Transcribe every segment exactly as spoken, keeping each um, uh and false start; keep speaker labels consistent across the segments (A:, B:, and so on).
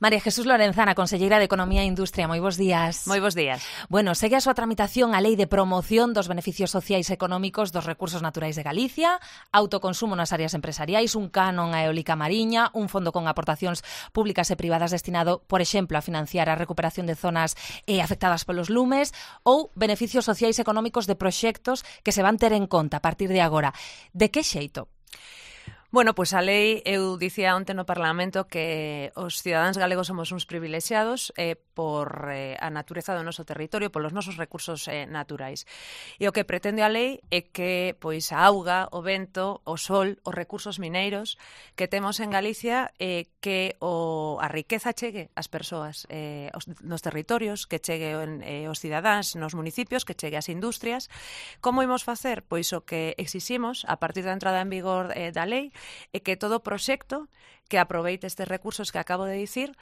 A: María Jesús Lorenzana, conselleira de Economía e Industria, moi bons días.
B: Moi bons días.
A: Bueno, segue a súa tramitación a Lei de Promoción dos Beneficios Sociais e Económicos dos Recursos Naturais de Galicia, autoconsumo nas áreas empresariais, un canon a eólica mariña, un fondo con aportacións públicas e privadas destinado, por exemplo, a financiar a recuperación de zonas eh, afectadas polos lumes, ou beneficios sociais e económicos de proxectos que se van ter en conta a partir de agora. De que xeito?
B: Bueno, pois a lei, eu dicía onte no Parlamento que os cidadáns galegos somos uns privilexiados eh, por eh, a natureza do noso territorio, polos nosos recursos eh, naturais. E o que pretende a lei é que pois a auga, o vento, o sol, os recursos mineiros que temos en Galicia, eh, que o, a riqueza chegue ás persoas eh, os, nos territorios, que chegue en, eh, os cidadáns nos municipios, que chegue ás industrias. Como imos facer? Pois o que exiximos a partir da entrada en vigor eh, da lei é que todo proxecto que aproveite estes recursos que acabo de dicir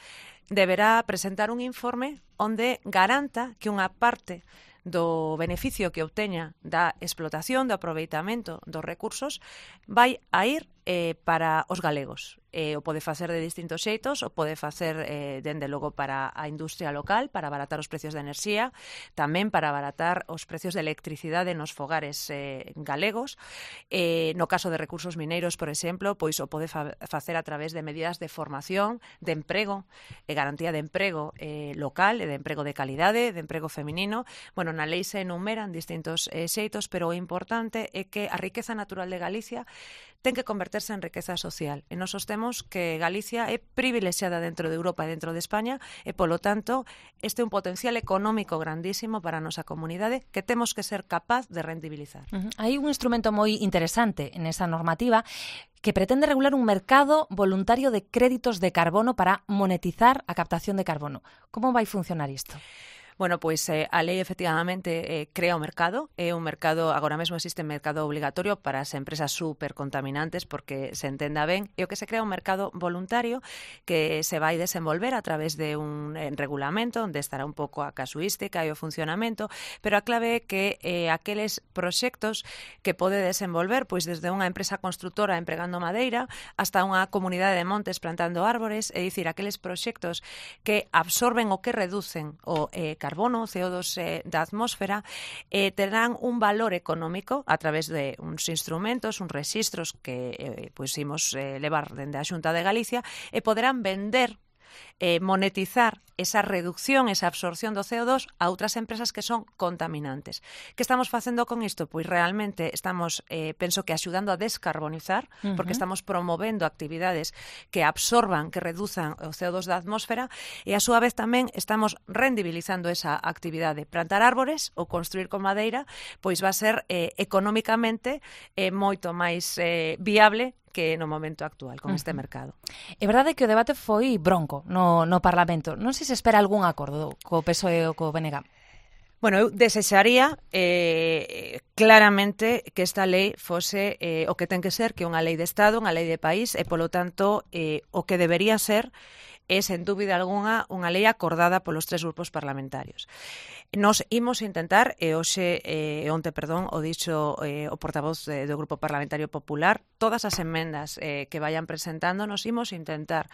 B: deberá presentar un informe onde garanta que unha parte do beneficio que obteña da explotación, do aproveitamento dos recursos vai a ir eh, para os galegos. Eh, o pode facer de distintos xeitos, o pode facer, eh, dende logo, para a industria local, para abaratar os precios de enerxía, tamén para abaratar os precios de electricidade nos fogares eh, galegos. Eh, no caso de recursos mineiros, por exemplo, pois o pode fa facer a través de medidas de formación, de emprego, e garantía de emprego eh, local, e de emprego de calidade, de emprego feminino. Bueno, na lei se enumeran distintos eh, xeitos, pero o importante é que a riqueza natural de Galicia ten que converterse en riqueza social. E nos sostemos que Galicia é privilexiada dentro de Europa e dentro de España e, polo tanto, este é un potencial económico grandísimo para a nosa comunidade que temos que ser capaz de rendibilizar.
A: Uh-huh. Hai un instrumento moi interesante en esa normativa que pretende regular un mercado voluntario de créditos de carbono para monetizar a captación de carbono. Como vai funcionar isto?
B: Bueno, pois eh, a lei efectivamente eh, crea o mercado, é un mercado, agora mesmo existe un mercado obligatorio para as empresas supercontaminantes, porque se entenda ben, e o que se crea un mercado voluntario que se vai desenvolver a través de un eh, regulamento onde estará un pouco a casuística e o funcionamento, pero a clave é que eh, aqueles proxectos que pode desenvolver, pois desde unha empresa constructora empregando madeira hasta unha comunidade de montes plantando árbores, é dicir, aqueles proxectos que absorben ou que reducen o eh, carbono, o C O dos eh, da atmósfera, eh, terán un valor económico a través de uns instrumentos, uns rexistros que eh, pois imos eh, levar dende a Xunta de Galicia e poderán vender, eh, monetizar esa reducción, esa absorción do C O dos a outras empresas que son contaminantes. Que estamos facendo con isto? Pois realmente estamos, eh, penso que axudando a descarbonizar, uh-huh. porque estamos promovendo actividades que absorban, que reduzan o C O dos da atmósfera e a súa vez tamén estamos rendibilizando esa actividade. Plantar árbores ou construir con madeira pois va a ser eh, económicamente eh, moito máis eh, viable que no momento actual con uh-huh. este mercado.
A: É verdade que o debate foi bronco no, no Parlamento. Non sei se espera algún acordo co P S O E ou co B N G.
B: Bueno, eu desexaría eh, claramente que esta lei fose eh, o que ten que ser, que unha lei de Estado, unha lei de país, e polo tanto eh, o que debería ser é, sen dúbida algunha, unha lei acordada polos tres grupos parlamentarios. Nos imos intentar, e hoxe, e eh, onte, perdón, o dixo eh, o portavoz eh, do Grupo Parlamentario Popular, todas as emendas eh, que vayan presentando, nos imos intentar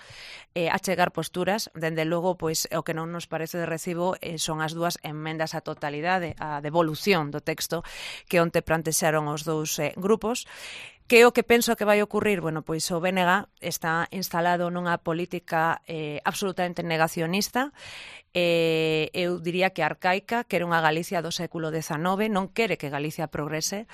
B: eh, achegar posturas. Dende logo, pois, o que non nos parece de recibo eh, son as dúas emendas á totalidade, a devolución do texto que onte plantexaron os dous eh, grupos. Que o que penso que vai ocurrir? Bueno, pois o B N G está instalado nunha política eh, absolutamente negacionista, eh, eu diría que arcaica, que era unha Galicia do século dezanove, non quere que Galicia progrese,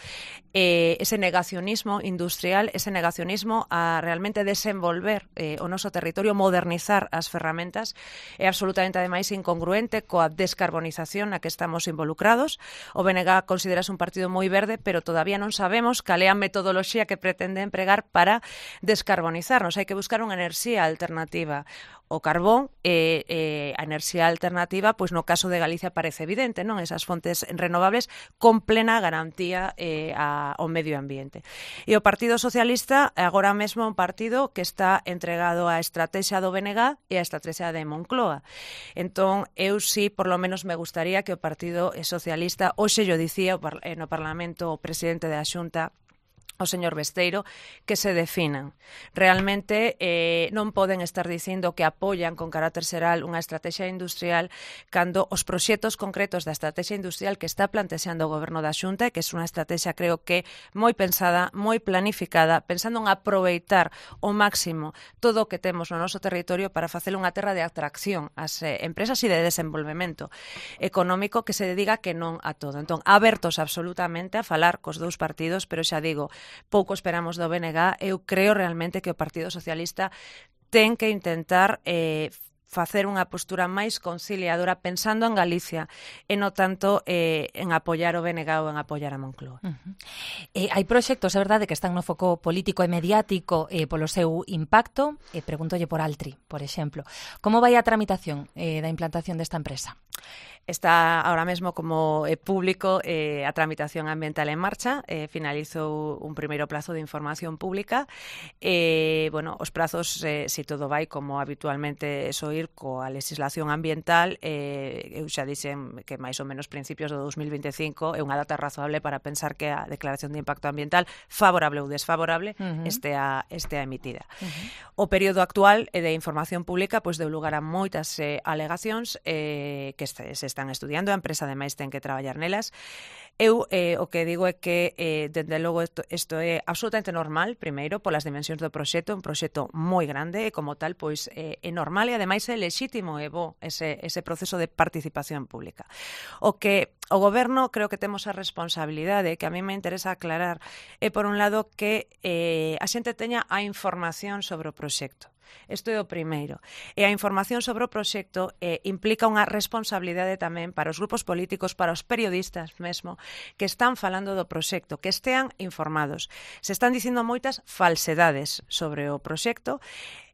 B: eh, ese negacionismo industrial, ese negacionismo a realmente desenvolver eh, o noso territorio, modernizar as ferramentas, é absolutamente ademais incongruente coa descarbonización na que estamos involucrados. O B N G considerase un partido moi verde, pero todavía non sabemos cal é a metodoloxía que pretende empregar para descarbonizarnos. Hai que buscar unha enerxía alternativa. O carbón e eh, a enerxía alternativa, pois no caso de Galicia parece evidente, non? Esas fontes renovables con plena garantía eh, a, ao medio ambiente. E o Partido Socialista agora mesmo é un partido que está entregado á estrategia do B N G e á estrategia de Moncloa. Entón, eu sí, por lo menos me gustaría que o Partido Socialista, hoxe yo dicía no Parlamento o presidente da Xunta, o señor Besteiro, que se definan. Realmente eh, non poden estar dicindo que apoian con carácter xeral unha estrategia industrial cando os proxectos concretos da estrategia industrial que está plantexando o Goberno da Xunta, que é unha estrategia, creo que, moi pensada, moi planificada, pensando en aproveitar o máximo todo o que temos no noso territorio para facer unha terra de atracción ás eh, empresas e de desenvolvemento económico que se dedica que non a todo. Entón, abertos absolutamente a falar cos dous partidos, pero xa digo, pouco esperamos do B N G. Eu creo realmente que o Partido Socialista ten que intentar eh, facer unha postura máis conciliadora pensando en Galicia e non tanto eh, en apoiar o B N G ou en apoiar a Moncloa.
A: Uh-huh. Eh, hai proxectos, é verdade, que están no foco político e mediático eh, polo seu impacto. Eh, pregúntolle por Altri, por exemplo. Como vai a tramitación eh, da implantación desta empresa?
B: Está ahora mesmo como eh, público eh, a tramitación ambiental en marcha, eh, finalizou un primeiro plazo de información pública. Eh, bueno, os prazos, eh, si todo vai como habitualmente soir coa legislación ambiental, eh, eu xa dixen que máis ou menos principios do dos mil vinte e cinco é unha data razonable para pensar que a declaración de impacto ambiental, favorable ou desfavorable, uh-huh. estea, estea emitida. Uh-huh. O período actual eh, de información pública pois deu lugar a moitas eh, alegacións eh, que se están estudiando, a empresa ademais ten que traballar nelas. Eu eh, o que digo é que, eh, dende logo, isto, isto é absolutamente normal, primeiro, polas dimensións do proxecto, un proxecto moi grande e, como tal, pois eh, é normal e, ademais, é lexítimo e bo ese, ese proceso de participación pública. O que o Goberno creo que temos a responsabilidade, que a mí me interesa aclarar, é, por un lado, que eh, a xente teña a información sobre o proxecto. Isto é o primeiro. E a información sobre o proxecto eh, implica unha responsabilidade tamén para os grupos políticos, para os periodistas mesmo, que están falando do proxecto, que estean informados. Se están dicindo moitas falsedades sobre o proxecto,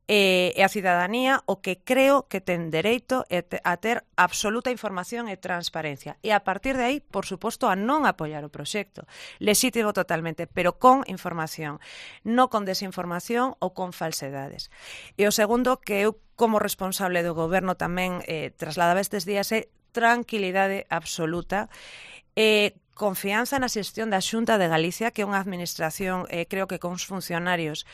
B: e a cidadanía o que creo que ten dereito a ter absoluta información e transparencia. E a partir de aí, por suposto, a non apoiar o proxecto. Lexítimo totalmente, pero con información, non con desinformación ou con falsedades. E o segundo, que eu como responsable do Goberno tamén eh, trasladaba estes días, é tranquilidade absoluta e confianza na xestión da Xunta de Galicia, que é unha administración, eh, creo que con os funcionarios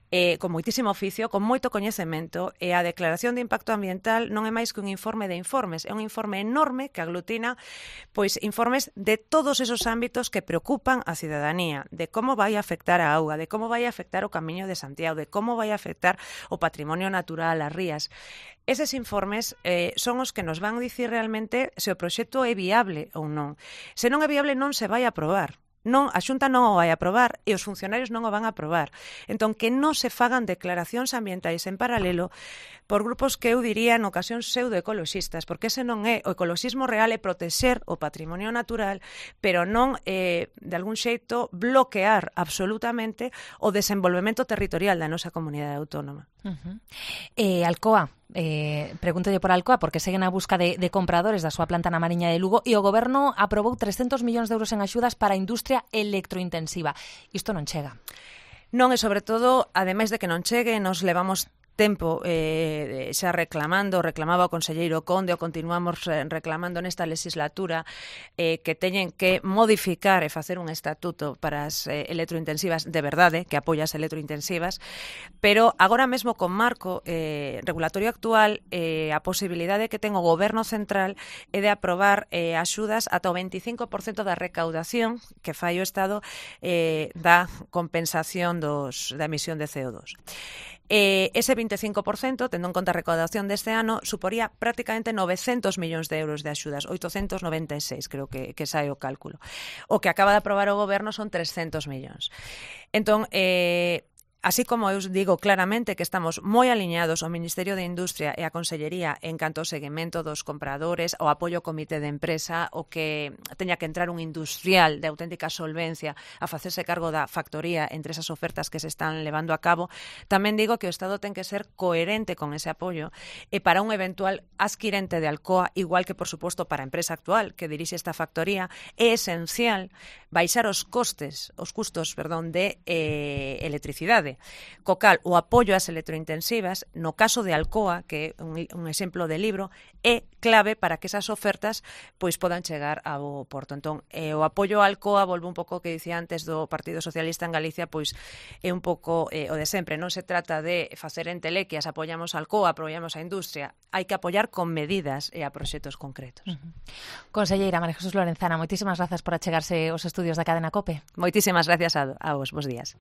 B: Eh, con moitísimo oficio, con moito coñecemento, e a declaración de impacto ambiental non é máis que un informe de informes, é un informe enorme que aglutina pois informes de todos esos ámbitos que preocupan a cidadanía, de como vai a afectar a auga, de como vai a afectar o Camiño de Santiago, de como vai a afectar o patrimonio natural, as rías. Eses informes eh, son os que nos van dicir realmente se o proxecto é viable ou non. Se non é viable, non se vai a aprobar. Non, a Xunta non o vai aprobar e os funcionarios non o van a aprobar. Entón, que non se fagan declaracións ambientais en paralelo por grupos que eu diría en ocasións pseudoecoloxistas, porque ese non é o ecoloxismo real, é protexer o patrimonio natural, pero non, eh, de algún xeito, bloquear absolutamente o desenvolvemento territorial da nosa comunidade autónoma.
A: Uh-huh. Eh, Alcoa, eh, pregúntolle por Alcoa, porque seguen a busca de, de compradores da súa planta na Mariña de Lugo e o Goberno aprobou trescentos millóns de euros en axudas para a industria electrointensiva. Isto non chega.
B: Non, e sobre todo, ademais de que non chegue, nos levamos tempo eh, xa reclamando, reclamaba o conselleiro Conde, o continuamos reclamando nesta legislatura eh, que teñen que modificar e facer un estatuto para as eh, electrointensivas de verdade, que apoia as electrointensivas, pero agora mesmo con marco eh, regulatorio actual eh, a posibilidade que ten o Goberno Central é de aprobar eh, axudas ata o veinticinco por cento da recaudación que fai o Estado eh, da compensación dos, da emisión de C O dos. Eh, ese veinticinco por cento, tendo en conta a recaudación deste ano, suporía prácticamente novecentos millóns de euros de axudas, oitocentos noventa e seis, creo que, que sai o cálculo. O que acaba de aprobar o Goberno son trescentos millóns. Entón, eh, así como eu digo claramente que estamos moi aliñados ao Ministerio de Industria e a Consellería en canto ao seguimento dos compradores, ao apoio ao comité de empresa, o que teña que entrar un industrial de auténtica solvencia a facerse cargo da factoría entre esas ofertas que se están levando a cabo, tamén digo que o Estado ten que ser coherente con ese apoio e para un eventual adquirente de Alcoa, igual que, por suposto, para a empresa actual que dirixe esta factoría, é esencial baixar os costes, os custos, perdón, de eh, electricidade. B. Co cal, o apoio ás electrointensivas, no caso de Alcoa, que é un, un exemplo de libro, é clave para que esas ofertas pois podan chegar ao porto. Entón, eh, o apoio a Alcoa, volvo un pouco que dicía antes do Partido Socialista en Galicia, pois é un pouco eh, o de sempre. Non se trata de facer entelequias, apoiamos a Alcoa, apoiamos a industria. Hai que apoiar con medidas e a proxectos concretos. Uh-huh.
A: Conselleira María Jesús Lorenzana, moitísimas grazas por achegarse aos estudios da cadena COPE.
B: Moitísimas gracias a, a vos, bos días.